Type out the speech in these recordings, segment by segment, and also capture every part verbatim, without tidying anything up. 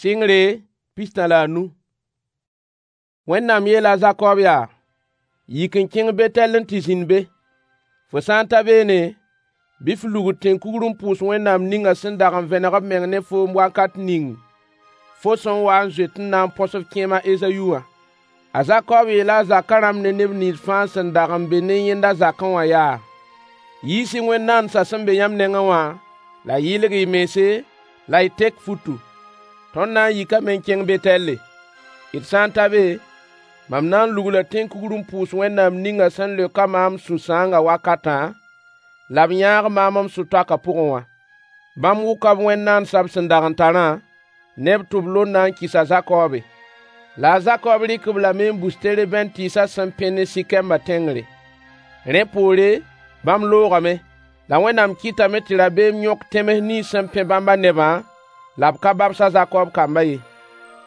Sɩngre pistã la a nu. Wẽnnaam yeela a Zakob yaa: Yik n kẽng Betɛl n tɩ zĩnd be. Fo sã n ta beene, bɩ f lugl tẽn-kugr n pʋʋs Wẽnnaam ninga sẽn dag n vẽneg b meng ne foom wakat ning fo sẽn wa n zoet n na n põs f kẽem a Ezayu wã. A Zakob yeela a zakã rãmb ne neb nins fãa sẽn dag n be ne yẽnda zakẽ wã yaa: Yiis-y wẽn-naandsã sẽn be yãmb nengẽ wã, la y yɩlg y mense la y tek futu. Tõnd na n yikame n kẽng Betɛlle. D sã n ta be, mam na n lugla tẽn-kugr n pʋʋs Wẽnnaam ninga sẽn leok-a maam sũ-sãangã wakatã, la b yãag maam m sũ-toakã pʋgẽ wã. Bãmb wʋka b wẽn-naandsã b sẽn dag n tarã ne b tʋb-londã n kɩs a Zakobe. La a Zakob rɩk-b lame n bus terebɛnt tɩɩsã sẽn pẽ ne Sikembã tẽngre. Rẽ poore, bãmb loogame. La Wẽnnaam kɩtame tɩ rabeem yõk tẽms nins sẽn pẽ bãmbã nebã, la b ka babs a Zakob kambã ye.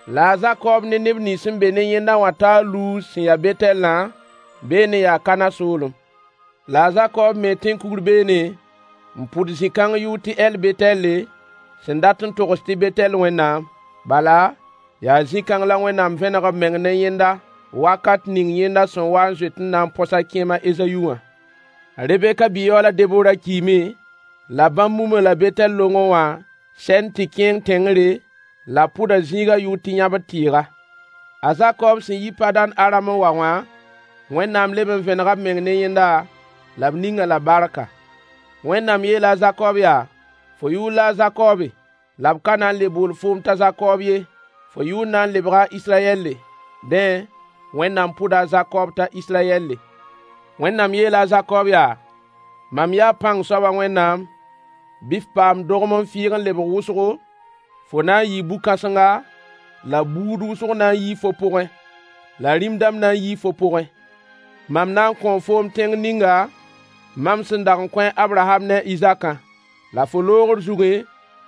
La a Zakob ne neb nins sẽn be ne yẽnda wã taa Luz sẽn ya Betɛllã, beene yaa Kana soolem. La a Zakob mee tẽn-kugr beene, n pʋd zĩ-kãng yʋʋr tɩ El-Betɛle, sẽn dat n togs tɩ Betɛl Wẽnnaam. Bala, yaa zĩ-kãng la Wẽnnaam vẽneg b meng ne yẽnda wakat ning yẽnda sẽn wa n zoet n na n põs a kẽem a Ezayu wã. A Rebeka bi-yaoola Debora kiime, la bãmb mum-a la Betɛl longẽ wã sɛn tɩ kẽeng tẽngre, la b pʋda zĩigã yʋʋr tɩ yãbd tɩɩga. A Zakob sẽn yi Padãn-Aram n wa wã, Wẽnnaam leb n vẽnega b meng ne yẽnda, la b ning-a la barka. Wẽnnaam yeela a Zakob yaa: Fo yʋʋr la a Zakobe, la b ka na n le bool foom t'a Zakob ye, fo yʋʋr na n lebga a Israyɛlle. Dẽ, Wẽnnaam pʋda a Zakob t'a Israyɛlle. Wẽnnaam yeela a Zakob yaa: Mam yaa pãng soabã Wẽnnaam, bɩ f paam dogem n fɩɩg n lebg wʋsgo, fo na n yɩɩ bu-kãsenga, la buud wʋsg na n yii fo pʋgẽ, la rĩm dãmb na n yii fo pʋgẽ. Mam na n kõo foom tẽng ninga mam sẽn dag n kõ a Abraham ne a Izakã. La fo loogr zugẽ,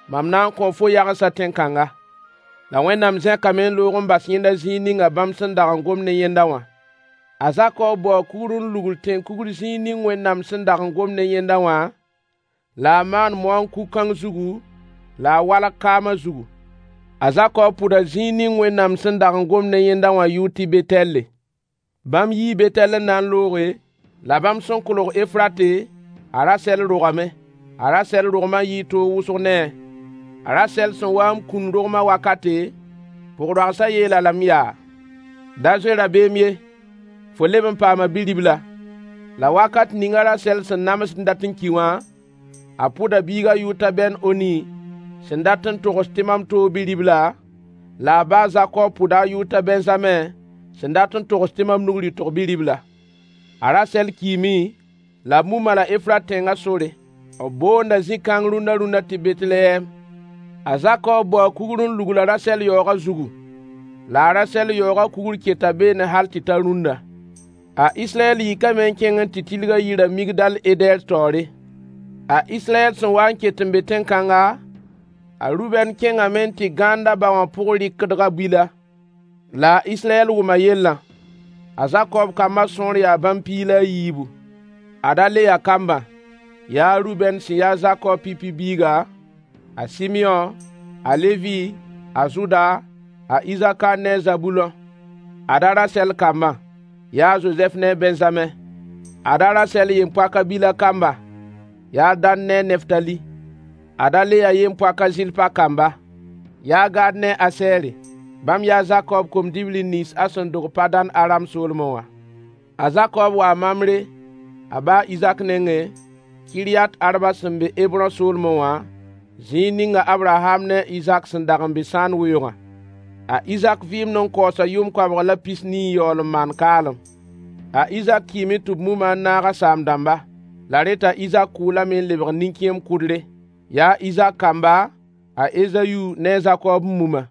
mam na n kõo fo yagensã tẽn-kãnga. La Wẽnnaam zẽkame n loog n bas yẽnda zĩig ninga bãmb sẽn dag n gom ne yẽnda wã. A Zakob baoo kugr n lugl tẽn-kugr zĩig ning Wẽnnaam sẽn dag n gom ne yẽnda wã, la a maan moan kug-kãng zugu, la a walg kaamã zugu. A Zakob pʋda zĩig ning Wẽnnaam sẽn dag n gom ne yẽnda wã yʋʋr tɩ Betɛlle. Bãmb yii Betɛl n na n looge, la bãmb sẽn kolg Efrate, a Rasɛl rogame. A Rasɛl rogmã yɩɩ toog wʋsg ne-a. A Rasɛl sẽn waa n kũn rogmã wakate, pʋg-roagsã yeel-a lame yaa: Da zoe rabeem ye, fo leb n paama bi-ribla. La wakat ning a Rasɛl sẽn namsd n dat n ki wã, a pʋda biigã yʋʋr t'a Ben-Oni, sẽn dat n togs tɩ mam toog bi-ribla, la a ba a Zakob pʋda a yʋʋr t'a Bɛnzamẽ, sẽn dat n togs tɩ mam nug rɩtg bi-ribla. A Rasɛl kiime, la b muma la Efrat tẽngã sore. B boonda zĩ-kãng rũnna rũnna tɩ Betlehɛm. A Zakob baoo kugr n lugl a Rasɛl yaoogã zugu. La a Rasɛl yaoogã kugr keta beene hal tɩ ta rũnna. A Israyɛl yikame n kẽng n tɩ tilg a yirã Migdal-Edɛr taoore. A Israyɛl sẽn waa n ket n be tẽn-kãnga, a Rubɛn kẽngame n tɩ gãand a ba wã pʋg-rɩkdgã Bila. La a Israyɛl wʋma yellã. A Zakob kambã sõor yaa bãmb piig la a yiibu. Ad-a Leya kambã: Yaa a Rubɛn sẽn ya a Zakob pipi biiga, a Sɩmyõ, a Levi, a Zʋda, a Isakar ne a Zabulõ. Ad-a Rasɛl kambã: Yaa a Zozɛf ne a Bɛnzamẽ. Ad-a Rasɛl yem-poak a Bila kamba: Yaa a Dan ne a Neftali. Ad-a Leya yem-poak a Zɩlpa kamba: Yaa Gad ne a Asɛɛre. Bãmb yaa a Zakob kom-dibli nins a sẽn dog Padãn-Aram soolmẽ wã. A Zakob waa Mamre, a ba a Izak nengẽ, Kiryat-Arba sẽn be Hebrõ soolmẽ wã, zĩig ning a Abraham ne a Izak sẽn dag n be sãan weoogã. A Izak vɩɩmd n kaoosa yʋʋm koabg la pis-nii n yaool n maan kaalem. A Izak kiime tɩ b mum-a n naag a saam-dãmba. La rẽ t'a Izak kʋʋ lame n lebg nin-kẽem kʋdre. Yaa a Izak kamba, a Ezayu ne a Zakob n mum-a.